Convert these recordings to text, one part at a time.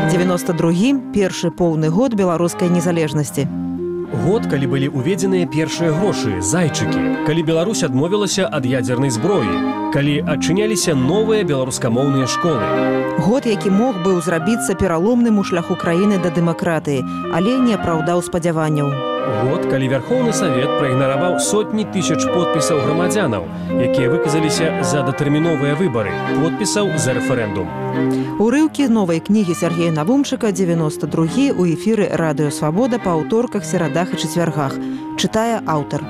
92 першы поўны год беларускай незалежнасці. Год, калі былі ўведзеныя першыя грошы, зайчыкі, калі Беларусь адмовілася ад ядзернай зброі, калі адчыняліся новыя беларускамоўныя школы. Год, які мог быў зрабіцца пераломным у шляху краіны да дэмакратыі, але не апраўдаў спадзяванняў. Год, калі Вярхоўны Савет праігнараваў сотні тысяч подпісаў грамадзянаў, якія выказаліся за датэрміновыя выбары, подпісаў за рэферэндум. Урыўкі новай кнігі Сергея Навумчыка, 92 у эфіры Радыё Свабода па аўторках, серадах і чацвяргах. Чытае аўтар.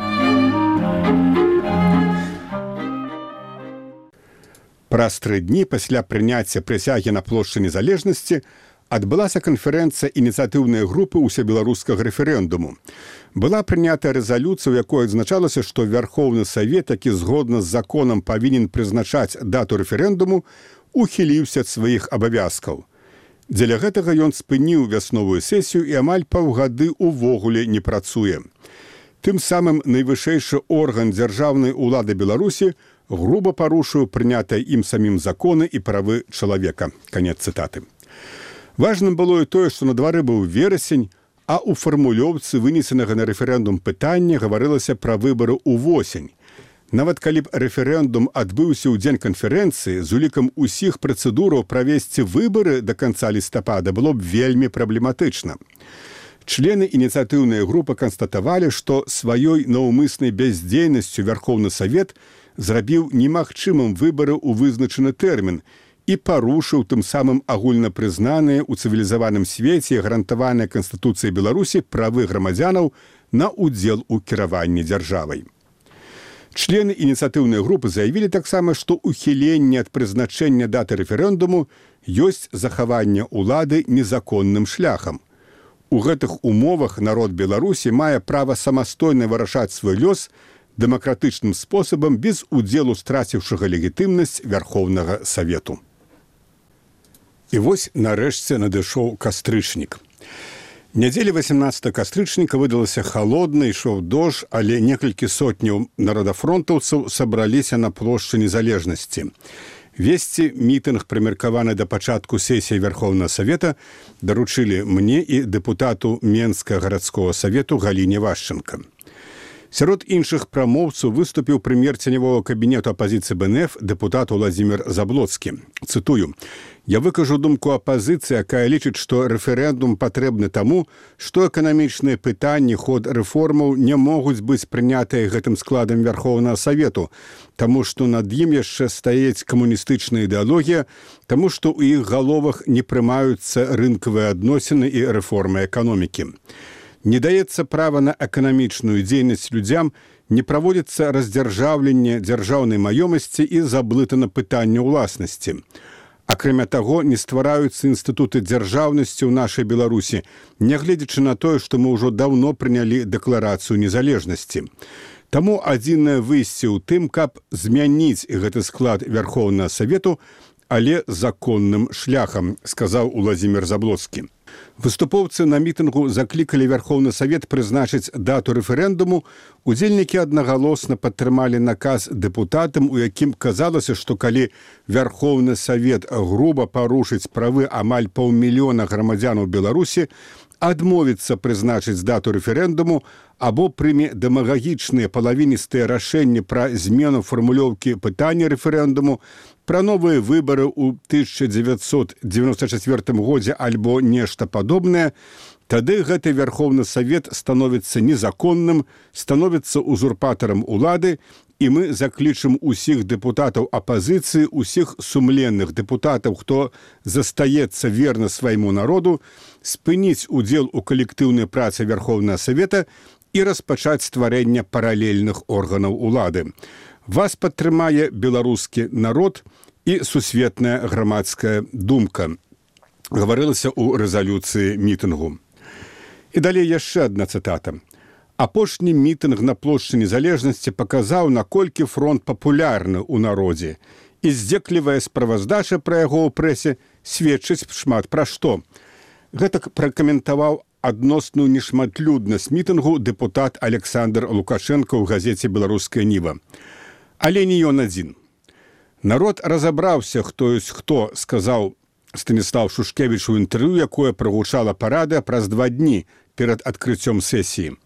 Праз 3 дні пасля прыняцця прысягі на плошчы незалежнасці адбылася канферэнцыя ініцыятыўнай групы ўсебеларускага рэферэндуму. Была прынята рэзалюцыя, у якой адзначалася, што Вярхоўны Савет, які згодна з законам павінен прызначаць дату рэферэндуму, ухіліўся ад сваіх абавязкаў. Дзеля гэтага ён спыніў вясновую сесію і амаль паўгады ўвогуле не працуе. Тым самым найвышэйшы орган дзяржаўнай улады Беларусі груба парушыў прынятыя ім самім законы і правы чалавека. Канец цытаты. Важным было і тое, што на двары быў верасень, а ў фармулёўцы вынесенага на рэферэндум пытання гаварылася пра выбары ўвосень. Нават калі б рэферэндум адбыўся ў дзень канферэнцыі, з улікам усіх працэдураў правесці выбары да канца лістапада было б вельмі праблематычна. Члены ініцыятыўнай групы канстатавалі, што сваёй наўмыснай бяздзейнасцю Вярхоўны Савет зрабіў немагчымым выбары ў вызначаны тэрмін і парушыў тым самым агульнапрызнаныя ў цывілізаваным свеце гарантаваныя Канстытуцыяй Беларусі правы грамадзянаў на ўдзел у кіраванні дзяржавай. Члены ініцыятыўнай групы заявілі таксама, што ухіленне ад прызначэння даты рэферэндуму ёсць захаванне ўлады незаконным шляхам. У гэтых умовах народ Беларусі мае права самастойна вырашаць свой лёс дэмакратычным спосабам без удзелу страціўшага легітымнасць Вярхоўнага Савету. І вось нарэшце надышоў кастрычнік. Нядзеля 18 кастрычніка выдалася халодна, ішоў дождж, але некалькі сотняў народафронтаўцаў сабраліся на плошчы незалежнасці. Весці мітынг, прымеркаваны да пачатку сесіі Вярхоўнага Савета, даручылі мне і дэпутату Менскага гарадскога савету Галіне Вашченка. Сярод іншых прамоўцаў выступіў прэм'ер ценявога кабінету апазіцыі БНФ дэпутат Уладзімір Заблоцкі. Цытую: «Я выкажу думку апазіцыі, якая лічыць, што рэферэндум патрэбны таму, што эканамічныя пытанні, ход рэформаў не могуць быць прынятыя гэтым складам Вярхоўнага Савету, таму што над ім яшчэ стаіць камуністычная ідэалогія, таму што ў іх галовах не прымаюцца рынкавыя адносіны і рэформы эканомікі. Не даецца права на эканамічную дзейнасць людзям, не праводзіцца раздзяржаўленне дзяржаўнай маёмасці і заблытана пытанне ўласнасці. Акрамя таго, не ствараюцца інстытуты дзяржаўнасці ў нашай Беларусі, нягледзячы на тое, што мы ўжо даўно прынялі дэкларацыю незалежнасці. Таму адзінае выйсце ў тым, каб змяніць гэты склад Вярхоўнага Савету, але законным шляхам», сказаў Уладзімір Заблоцкі. Выступоўцы на мітынгу заклікалі Вярхоўны Савет прызначыць дату рэферэндуму. Удзельнікі аднагалосна падтрымалі наказ дэпутатам, у якім казалася, што калі Вярхоўны Савет груба парушыць правы амаль паўмільёна грамадзянаў Беларусі, адмовіцца прызначыць дату рэферэндуму або прыме дэмагагічныя палавіністыя рашэнні пра змену фармулёўкі пытання рэферэндуму, пра новыя выбары ў 1994 годзе альбо нешта падобнае, тады гэты Вярхоўны Савет становіцца незаконным, становіцца узурпатарам улады, і мы заклічым усіх дэпутатаў апазіцыі, усіх сумленных дэпутатаў, хто застаецца верна свайму народу, спыніць удзел у калектыўнай працы Вярхоўнага Савета і распачаць стварэнне паралельных органаў улады. Вас падтрымае беларускі народ і сусветная грамадская думка, гаварылася ў рэзалюцыі мітынгу. І далей яшчэ адна цытата. Апошні мітынг на плошчы незалежнасці паказаў, наколькі фронт папулярны ў народзе, і здзеклівая справаздача пра яго ў прэсе сведчыць шмат пра што. Гэтак пракаментаваў адносную нешматлюднасць мітынгу дэпутат Александр Лукашенко ў газеце «Беларуская Ніва». Але не ён адзін. Народ разабраўся, хто ёсць хто, сказаў Станіслав Шушкевіч у інтэрв'ю, якое прагучала парада праз 2 дні перад адкрыццём сесіі.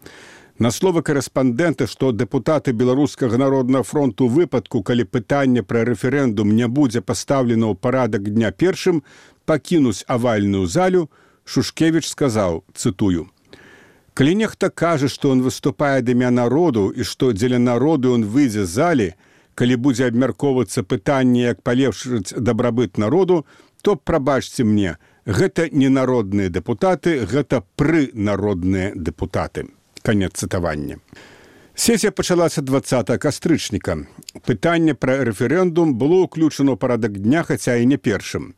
На словы корэспандэнта, што дэпутаты Беларускага народнага фронту ў выпадку, калі пытанне пра рэферэндум не будзе пастаўлена ў парадак дня першым, пакінуць авальную залю, Шушкевіч сказаў, цытую: «Калі нехта кажа, што ён выступае ад імя народу і што дзеля народу ён выйдзе з залі, калі будзе абмяркоўвацца пытанне, як палепшыць дабрабыт народу, то, прабачце мне, гэта не народныя дэпутаты, гэта прынародныя дэпутаты». Канец цытавання. Сесія пачалася 20 кастрычніка. Пытанне пра рэферэндум было ўключана ў парадак дня, хаця і не першым.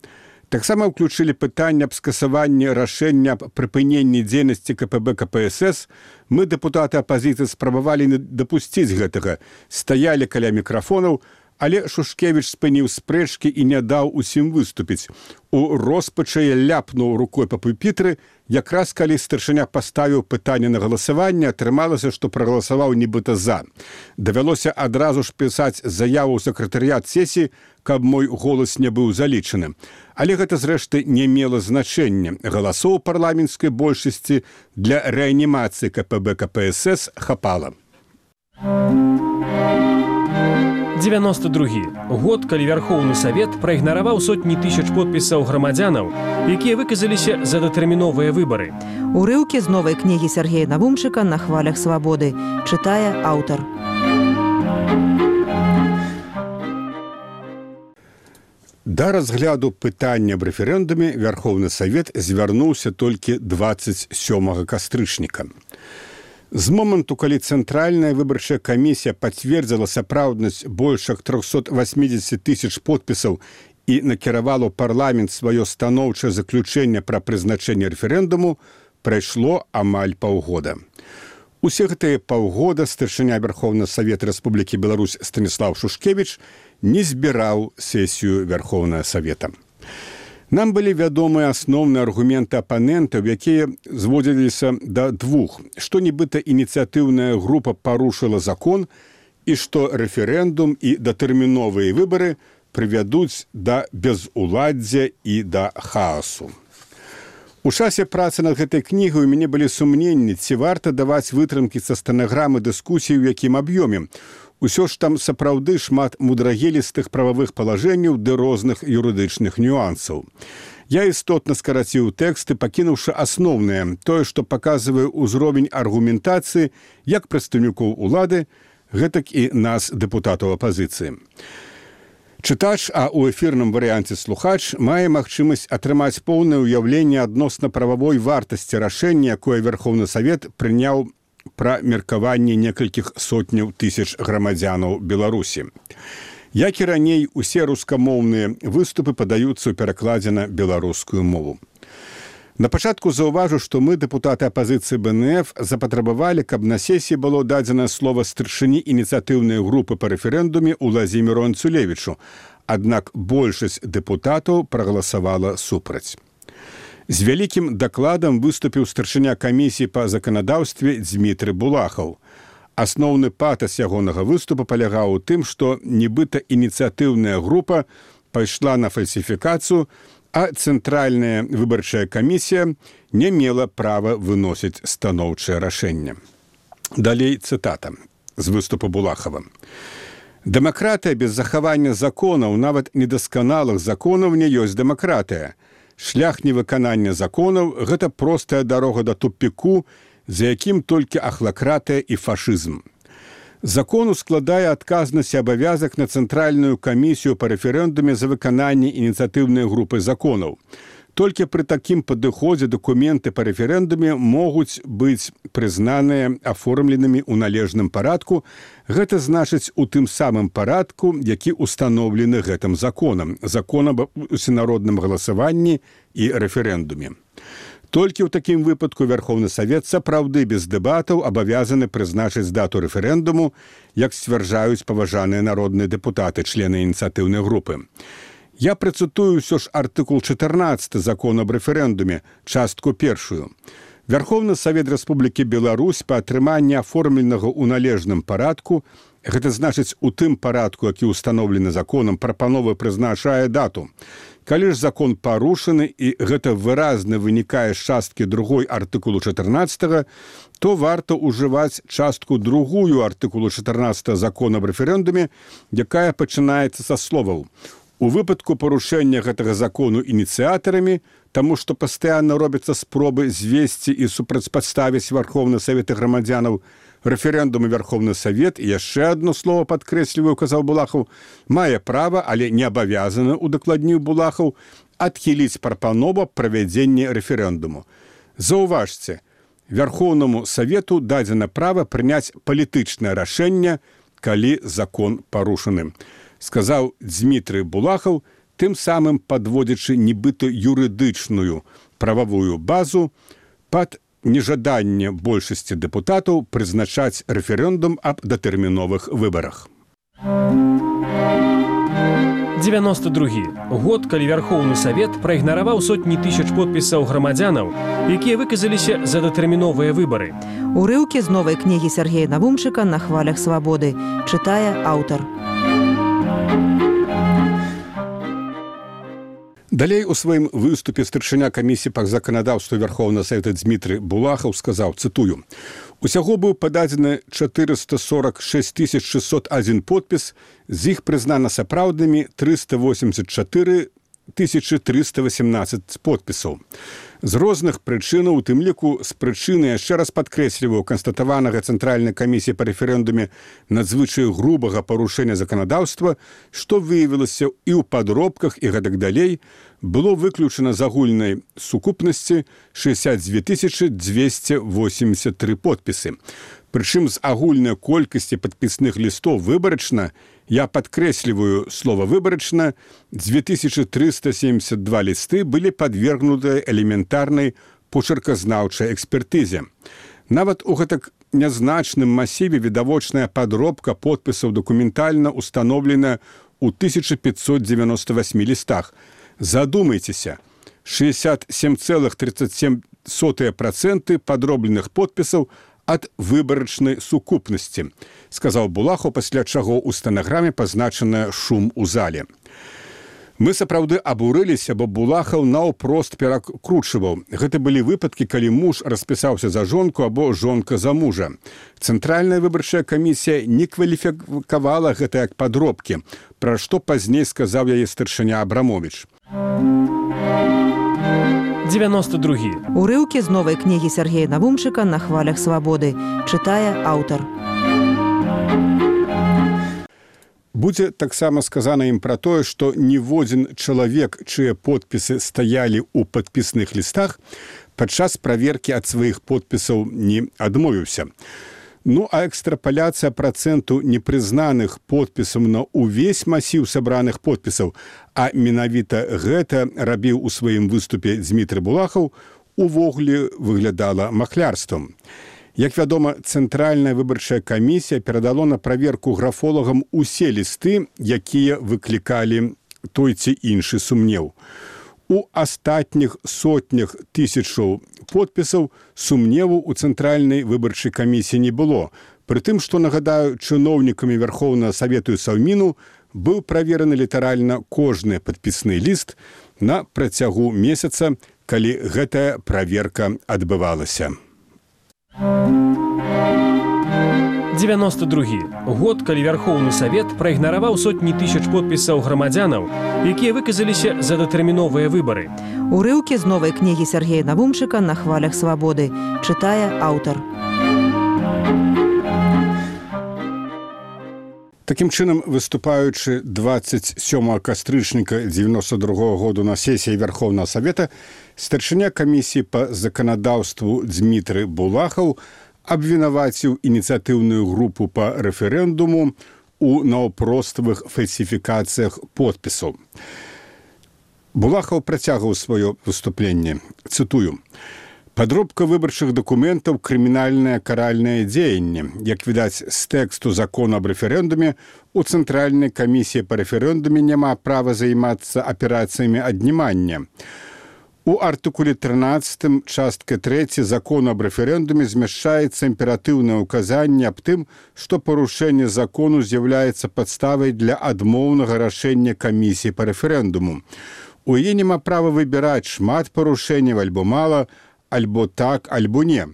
Таксама ўключылі пытанне аб скасаванні рашэння аб прыпыненні дзейнасці КПБ КПСС. Мы, дэпутаты апазіцыі, спрабавалі не дапусціць гэтага, стаялі каля мікрафонаў, але Шушкевіч спыніў спрэчкі і не даў усім выступіць. У роспачы ляпнуў рукой па пупітры, якраз калі старшыня паставіў пытанне на галасаванне, атрымалася, што прагаласаваў нібыта за. Давялося адразу ж пісаць заяву ў сакратарыят сесіі, каб мой голас не быў залічаны. Але гэта, зрэшты, не мела значэння. Галасоў парламенцкай большасці для рэанімацыі КПБ КПСС хапала. 92 год, калі Вярхоўны Савет праігнараваў сотні тысяч подпісаў грамадзянаў, якія выказаліся за датэрміновыя выбары. Урыўкі з новай кнігі Сергея Навумчыка «На хвалях свабоды». Чытае аўтар. Да разгляду пытання аб рэферэндуме Вярхоўны Савет звярнуўся толькі 27 кастрычніка. З моманту, калі Цэнтральная выбарчая камісія пацвердзіла сапраўднасць больш як 380 тысяч подпісаў і накіравала ў парламент сваё станоўчае заключэнне пра прызначэнне рэферэндуму, прайшло амаль паўгода. Усе гэтыя паўгода старшыня Верховнага Савета Рэспублікі Беларусь Станіслав Шушкевіч не збіраў сесію Верховнага Савета. Нам былі вядомыя асноўныя аргументы апанентаў, якія зводзіліся да двух, што нібыта ініцыятыўная група парушыла закон і што рэферэндум і датэрміновыя выбары прывядуць да безуладдзя і да хаасу. У часе працы над гэтай кнігай у мяне былі сумненні, ці варта даваць вытрымкі са стэнаграмы дыскусій, у якім аб'ёме. Усё ж там сапраўды шмат мудрагелістых прававых палажэнняў ды розных юрыдычных нюансаў. Я істотна скараціў тэксты, пакінуўшы асноўнае, тое, што паказвае ўзровень аргументацыі як прадстаўнікоў улады, гэтак і нас, дэпутатаў апазіцыі. Чытач, а ў эфірным варыянце слухач, мае магчымасць атрымаць поўнае ўяўленне адносна прававой вартасці рашэння, якое Верховны Савет прыняў пра меркаванне некалькіх сотняў тысяч грамадзянаў Беларусі. Як і раней, усе рускамоўныя выступы падаюцца ў перакладзе на беларускую мову. На пачатку заўважу, што мы, дэпутаты апазіцыі БНФ, запатрабавалі, каб на сесіі было дадзена слова старшыні ініцыятыўнай групы па рэферэндуме Уладзіміру Анцулевічу, аднак большасць дэпутатаў прагаласавала супраць. З вялікім дакладам выступіў старшыня камісіі па заканадаўстве Дзмітрый Булахаў. Асноўны патас ягонага выступа палягаў у тым, што нібыта ініцыятыўная група пайшла на фальсіфікацыю, а Цэнтральная выбарчая камісія не мела права выносіць станоўчае рашэнне. Далей цытата з выступу Булахава. «Дэмакратыя без захавання законаў, нават недасканалых законаў, не ёсць дэмакратыя. Шлях невыканання законаў – гэта простая дарога да тупіку, за якім толькі ахлакратыя і фашызм. Закон ускладае адказнасць і абавязак на Цэнтральную камісію па рэферэндуме за выкананне ініцыятыўнай групы законаў. Толькі пры такім падыходзе дакументы па рэферэндуме могуць быць прызнаныя аформленымі ў належным парадку, гэта значыць у тым самым парадку, які установлены гэтым законам, закон аб усенародным галасаванні і рэферэндуме. Толькі ў такім выпадку Верховны Савет сапраўды без дэбатаў абавязаны прызначыць дату рэферэндуму, як сцвярджаюць паважаныя народныя дэпутаты, члены ініцыятыўнай групы. Я працытую ўсё ж артыкул 14 закона аб рэферэндуме, частку першую. Верховны Савет Рэспублікі Беларусь па атрыманні аформленага ў належным парадку Гэта значыць, у тым парадку, які ўстаноўлены законам, прапанова прызначае дату. Калі ж закон парушаны, і гэта выразна вынікае з часткі 2 артыкулу 14, то варта ўжываць частку 2 артыкулу 14 закона аб рэферэндуме, якая пачынаецца са словаў. У выпадку парушэння гэтага закону ініцыятарамі, таму што пастаянна робяцца спробы звесці і супрацьпадставіць Верховны Савет і грамадзянаў, рэферэндум і Верховны Савет, і яшчэ адно слово падкрэсліваю, казаў Булахаў, мае права, але не абавязаны, удакладніў Булахаў, адхіліць прапанову правядзення рэферэндуму. Заўважце, Верховнаму Савету дадзена права прыняць палітычнае рашэнне, калі закон парушаны. Сказаў Дзмітрый Булахаў, тым самым падводзячы нібыта юрыдычную прававую базу пад нежаданне большасці дэпутатаў прызначаць рэферэндум аб датэрміновых выбарах. 92 год, калі Верховны Савет праігнараваў сотні тысяч подпісаў грамадзянаў, якія выказаліся за датэрміновыя выбары. Урыўкі з новай кнігі Сергея Навумчыка «На хвалях свабоды», чытае аўтар. Далей у сваім выступе старшыня камісіі па заканадаўству Верховнага Савета Дзмітрый Булахаў сказаў, цытую, «Усяго быў пададзены 446 601 подпіс, з іх прызнана сапраўднымі 384 318 подпісаў. З розных прычынаў, у тым ліку з прычыны, яшчэ раз падкрэсліваю, канстатаванага Цэнтральнай камісіі па рэферэндуме надзвычай грубага парушэння заканадаўства, што выявілася і ў падробках і гэтак далей, было выключана з агульнай сукупнасці 62 283 подпісы. Прычым з агульнай колькасці падпісных лістов выбарачна, я падкрэсліваю слова «выбарачна», 2372 лісты былі падвергнуты элементарнай почерказнаўчай экспертызе. Нават у гэтак нязначным масіве відавочная падробка подпісаў дакументальна установлена ў 1598 лістах. Задумайцеся, 67,37% падробленых подпісаў ад выбарачнай сукупнасці, сказаў Булахаў, пасля чаго ў стэнаграме пазначана шум у зале. Мы сапраўды абурыліся, бо Булахаў наўпрост перакручваў. Гэта былі выпадкі, калі муж распісаўся за жонку або жонка за мужа. Цэнтральная выбарчая камісія не кваліфікавала гэта як падробкі, пра што пазней сказаў яе старшыня Абрамовіч. 92. Урыўкі з новай кнігі Сергея Навумчыка «На хвалях свабоды», чытае аўтар. Будзе таксама сказана ім пра тое, што ніводзін чалавек, чые подпісы стаялі ў падпісных лістах, падчас праверкі ад сваіх подпісаў не адмовіўся. Ну, а экстрапаляцыя працэнту непрызнаных подпісаў на ўвесь масіў сабраных подпісаў, а менавіта гэта рабіў у сваім выступе Дзмітрый Булахаў, увогуле выглядала махлярствам. Як вядома, Цэнтральная выбарчая камісія перадала на праверку графолагам усе лісты, якія выклікалі той ці іншы сумнеў. У астатніх сотнях тысячаў подпісаў сумневу ў Цэнтральнай выбарчай камісіі не было. Прытым, што, нагадаю, чыноўнікамі Верховнага Савету і Саўміну быў правераны літаральна кожны падпісны ліст на працягу месяца, калі гэтая праверка адбывалася. 92 год, калі Верховны Савет праігнараваў сотні тысяч подпісаў грамадзянаў, якія выказаліся за датэрміновыя выбары. Урыўкі з новай кнігі Сергея Навумчыка «На хвалях свабоды», чытае аўтар. Такім чынам, выступаючы 27 кастрычніка 92 году на сесіі Верховнага Савета, старшыня камісіі па заканадаўству Дзмітрый Булахаў абвінаваціў ініцыятыўную групу па рэферэндуму у наўпроставых фальсіфікацыях подпісаў. Булахаў працягваў сваё выступленне. Цытую. «Падробка выбарчых дакументаў – крымінальнае каральнае дзеянне. Як відаць, з тэксту закона аб рэферэндуме, у Цэнтральнай камісіі па рэферэндуме няма права займацца аперацыямі аднімання. У артыкуле 13 частка 3 закону аб рэферэндуме змяшчаецца імператыўнае ўказанне аб тым, што парушэнне закону з'яўляецца падставай для адмоўнага рашэння камісіі па рэферэндуму. У яе няма права выбіраць шмат парушэнняў альбо мала, альбо так, альбо не.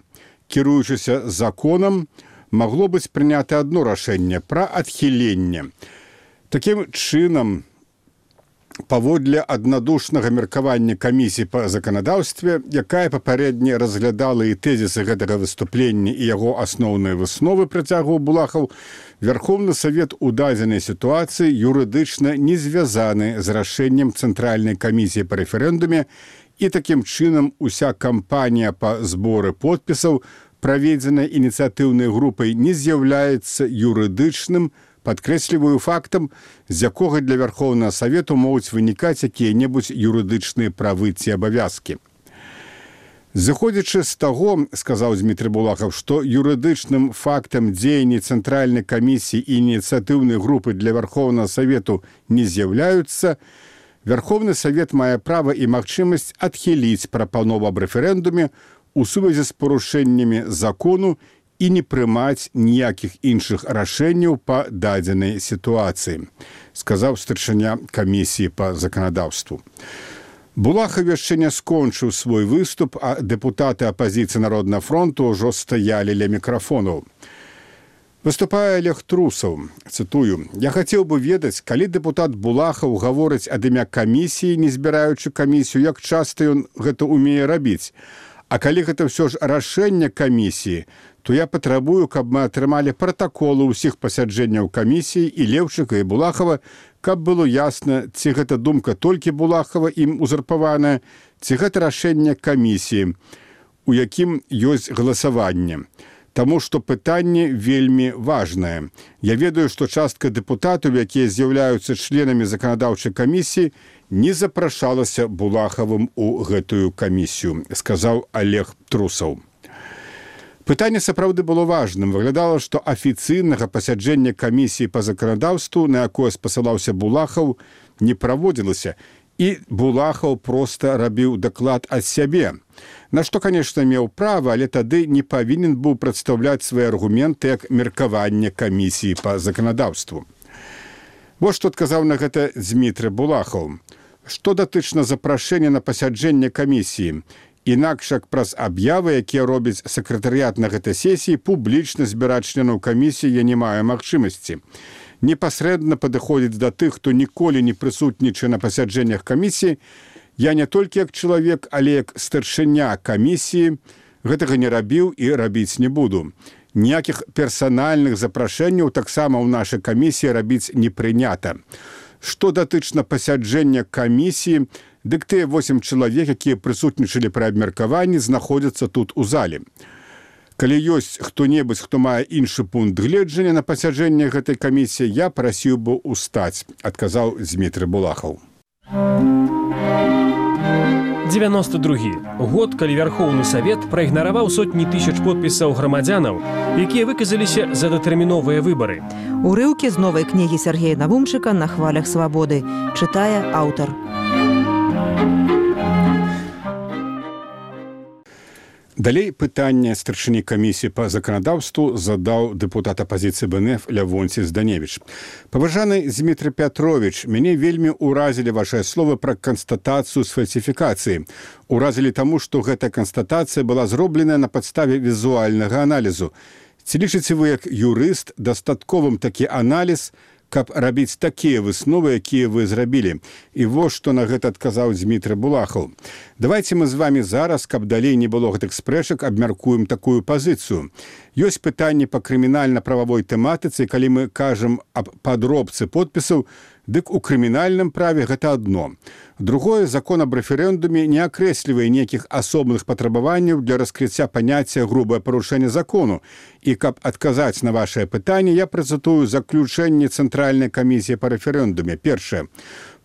Кіруючыся законам, магло быць прынята адно рашэнне пра адхіленне. Такім чынам, паводле аднадушнага меркавання камісіі па заканадаўстве, якая папярэдне разглядала і тэзісы гэтага выступлення і яго асноўныя высновы, працягваў Булахаў, Верховны Савет у дадзенай сітуацыі юрыдычна не звязаны з рашэннем Цэнтральнай камісіі па рэферэндуме, і такім чынам уся кампанія па зборы подпісаў, праведзеная ініцыятыўнай групай, не з'яўляецца юрыдычным, падкрэсліваю фактам, з якога для Верховнага Савету могуць вынікаць якія-небудзь юрыдычныя правы ці абавязкі. Зыходзячы з таго, сказаў Дмітрий Булахаў, што юрыдычным фактам дзеянні Цэнтральнай камісіі і ініцыятыўнай групы для Верховнага Савету не з'яўляюцца, Верховны Савет мае права і магчымасць адхіліць прапанову аб рэферэндуме у сувязі з парушэннямі закону і не прымаць ніякіх іншых рашэнняў па дадзенай сітуацыі, сказаў старшыня камісіі па заканадаўству. Булахаў яшчэ не скончыў свой выступ, а дэпутаты апазіцыі Народнага фронту ўжо стаялі ля мікрафонаў. Выступае Олег Трусаў, цытую: «Я хацеў бы ведаць, калі дэпутат Булахаў гаворыць ад імя камісіі, не збіраючы камісію, як часта ён гэта ўмее рабіць. А калі гэта ўсё ж рашэнне камісіі, то я патрабую, каб мы атрымалі пратаколы ўсіх пасяджэнняў камісіі і Леўчыка і Булахава, каб было ясна, ці гэта думка толькі Булахава ім узурпаваная, ці гэта рашэнне камісіі, у якім ёсць галасаванне. Таму што пытанне вельмі важнае. Я ведаю, што частка дэпутатаў, якія з'яўляюцца членамі заканадаўчай камісіі, не запрашалася Булахавым у гэтую камісію, сказаў Олег Трусаў. Пытанне сапраўды было важным. Выглядала, што афіцыйнага пасяджэння камісіі па заканадаўству, на якое спасылаўся Булахаў, не праводзілася, і Булахаў проста рабіў даклад ад сябе. На што, канешне, меў права, але тады не павінен быў прадстаўляць свае аргументы як меркаванне камісіі па заканадаўству. Вось што адказаў на гэта Дмітрий Булахаў. Што датычна запрашэння на пасяджэнне камісіі, інакш як праз аб'явы, якія робіць сакратарыят на гэтай сесіі, публічна збіраць членаў камісіі я не маю магчымасці. Непасрэдна падыходзіць да тых, хто ніколі не прысутнічае на пасяджэннях камісіі, я не толькі як чалавек, але як старшыня камісіі гэтага не рабіў і рабіць не буду. Ніякіх персанальных запрашэнняў таксама ў нашай камісіі рабіць не прынята. Што датычна пасяджэння камісіі, дык тыя 8 чалавек, якія прысутнічалі пры абмеркаванні, знаходзяцца тут у зале. Калі ёсць хто-небудзь, хто мае іншы пункт гледжання на пасяджэнне гэтай камісіі, я прасіў бы устаць, адказаў Дмітрий Булахаў. 92 год, калі Верховны Савет праігнараваў сотні тысяч подпісаў грамадзянаў, якія выказаліся за датэрміновыя выбары. Урыўкі з новай кнігі Сергея Навумчыка «На хвалях свабоды», чытае аўтар. Далей пытанне старшыні камісіі па заканадаўству задаў дэпутат апазіцыі БНФ Лявонці Зданевіч. Паважаны Дмітрий Пятрович, мяне вельмі ўразілі вашыя словы пра канстатацыю з фальсіфікацыі. Уразілі таму, што гэтая канстатацыя была зробленая на падставе візуальнага аналізу. Ці лічыце вы як юрыст дастатковым такі аналіз, каб рабіць такія высновы, якія вы зрабілі? І вось што на гэта адказаў Дмітрий Булахаў. Давайте мы з вами зараз, каб далей не было гэтых спрэчак, абмяркуем такую пазіцыю. Ёсць пытанні па крымінальна-прававой тэматыцы, калі мы кажам аб падробцы подпісаў, дык у крымінальным праве гэта адно. Другое, закон аб рэферэндуме не акрэслівае нейкіх асобных патрабаванняў для раскрыцця паняцця грубае парушэнне закону. І каб адказаць на вашае пытанне, я працытую заключэнне Цэнтральнай камісіі па рэферэндуме. Першае.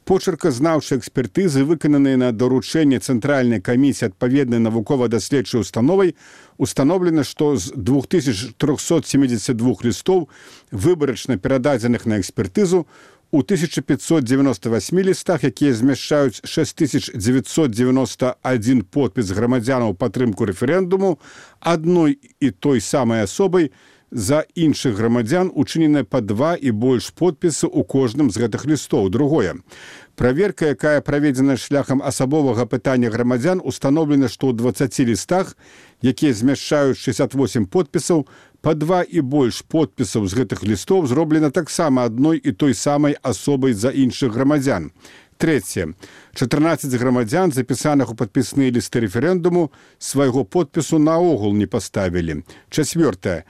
Почерказнаўчыя экспертызы, выкананыя на даручэнне Цэнтральнай камісіі адпаведнай навукова-даследчай установай, установлена, што з 2372 лістоў, выбарачна перададзеных на экспертызу, У 1598 лістах, якія змяшчаюць 6991 подпіс грамадзянаў падтрымку рэферэндуму, адной і той самай асобай за іншых грамадзян учынена па 2 і больш подпісаў у кожным з гэтых лістоў. Другое. Праверка, якая праведзена шляхам асабовага пытання грамадзян, установлена, што ў 20 лістах, якія змяшчаюць 68 подпісаў, па 2 і больш подпісаў з гэтых лістоў зроблена таксама адной і той самай асобай за іншых грамадзян. Трэцяе. 14 грамадзян, запісаных у падпісныя лісты рэферэндуму, свайго подпісу наогул не паставілі. Чацвёртае.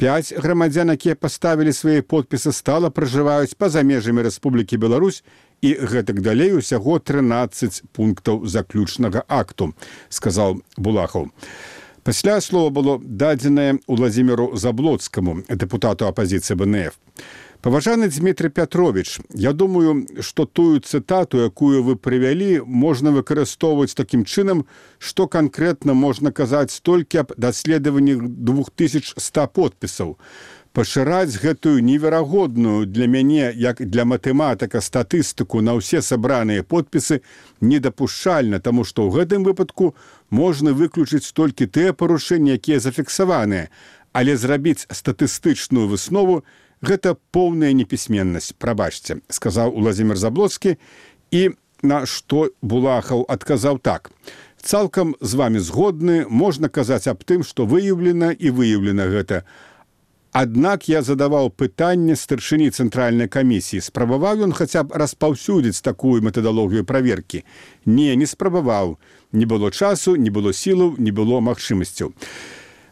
5 грамадзян, якія паставілі свае подпісы, стала пражываюць па-за межамі Рэспублікі Беларусь, і гэтак далей усяго 13 пунктаў заключнага акту, сказаў Булахаў. Пасля слова было дадзенае Уладзіміру Заблоцкаму, дэпутату апазіцыі БНФ. Паважаны Дмітрий Пятрович, я думаю, што тую цытату, якую вы прывялі, можна выкарыстоўваць такім чынам, што канкрэтна можна казаць столькі аб даследаванні 2100 подпісаў. Пашыраць гэтую неверагодную для мяне, як для матэматыка, статыстыку на ўсе сабраныя подпісы недапушчальна, таму што ў гэтым выпадку можна выключыць толькі тыя парушэнні, якія зафіксаваныя, але зрабіць статыстычную выснову – гэта поўная непісьменнасць, прабачце, сказаў Уладзімір Заблоцкі, і на што Булахаў адказаў так. Цалкам з вамі згодны, можна казаць аб тым, што выяўлена і выяўлена гэта. Аднак я задаваў пытанне старшыні цэнтральнай камісіі. Спрабаваў ён хаця б распаўсюдзіць такую метадалогію праверкі? Не, не спрабаваў. Не было часу, не было сілаў, не было магчымасцяў.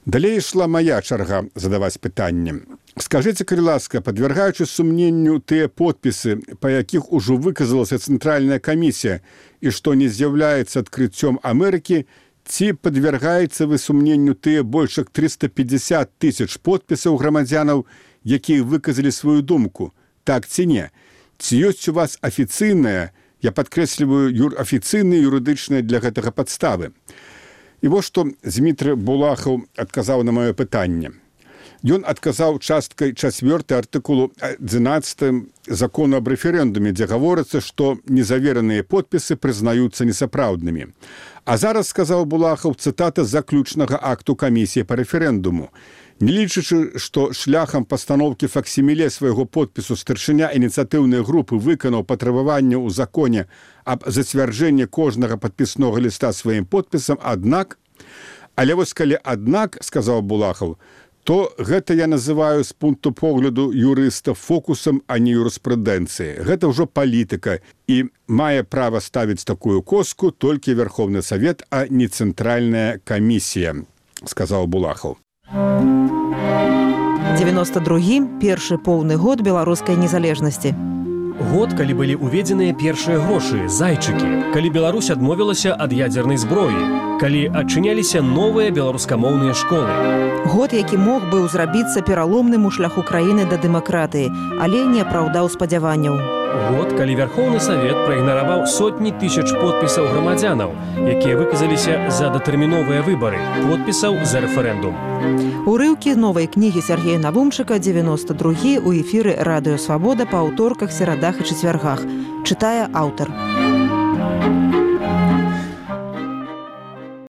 Далей ішла моя чарга задаваць пытанне. Скажыце, калі ласка, падвяргаючы сумненню тыя подпісы, па якіх ужо выказалася цэнтральная камісія і што не з'яўляецца адкрыццём Амерыкі, ці падвяргаецца вы сумненню тыя больш як 350 тысяч подпісаў грамадзянаў, якія выказалі сваю думку? Так ці не? Ці ёсць у вас афіцыйная, я падкрэсліваю, афіцыйная юрыдычная для гэтага падставы? І вось што Дмітрий Булахаў адказаў на маё пытанне. Ён адказаў часткай 4 артыкулу 11 закону аб рэферэндуме, дзе гаворыцца, што незавераныя подпісы прызнаюцца несапраўднымі. А зараз, сказаў Булахаў, цытата заключнага акту камісіі па рэферэндуму. Не лічачы, што шляхам пастаноўкі факсіміле свайго подпісу старшыня ініцыятыўнай групы выканаў патрабаванне ў законе аб зацвярджэнні кожнага падпіснога ліста сваім подпісам, аднак, але вось калі аднак, сказаў Булахаў, то гэта я называю з пункту погляду юрыста фокусам, а не юрыспрудэнцыі. Гэта ўжо палітыка, і мае права ставіць такую коску толькі Верховны Савет, а не цэнтральная камісія, сказаў Булахаў. 92-й – першы поўны год беларускай незалежнасці. Год, калі былі ўведзеныя першыя грошы, зайчыкі, калі Беларусь адмовілася ад ядзернай зброі, калі адчыняліся новыя беларускамоўныя школы. Год, які мог быў зрабіцца пераломным у шляху краіны да дэмакратыі, але не апраўдаў спадзяванняў. Год, калі Верховны Савет праігнараваў сотні тысяч подпісаў грамадзянаў, якія выказаліся за датэрміновыя выбары, подпісаў за рэферэндум. Урыўкі новай кнігі Сергея Навумчыка, 92-й у эфіры Радыё Свабода па аўторках, серадах і чацвяргах. Чытае аўтар.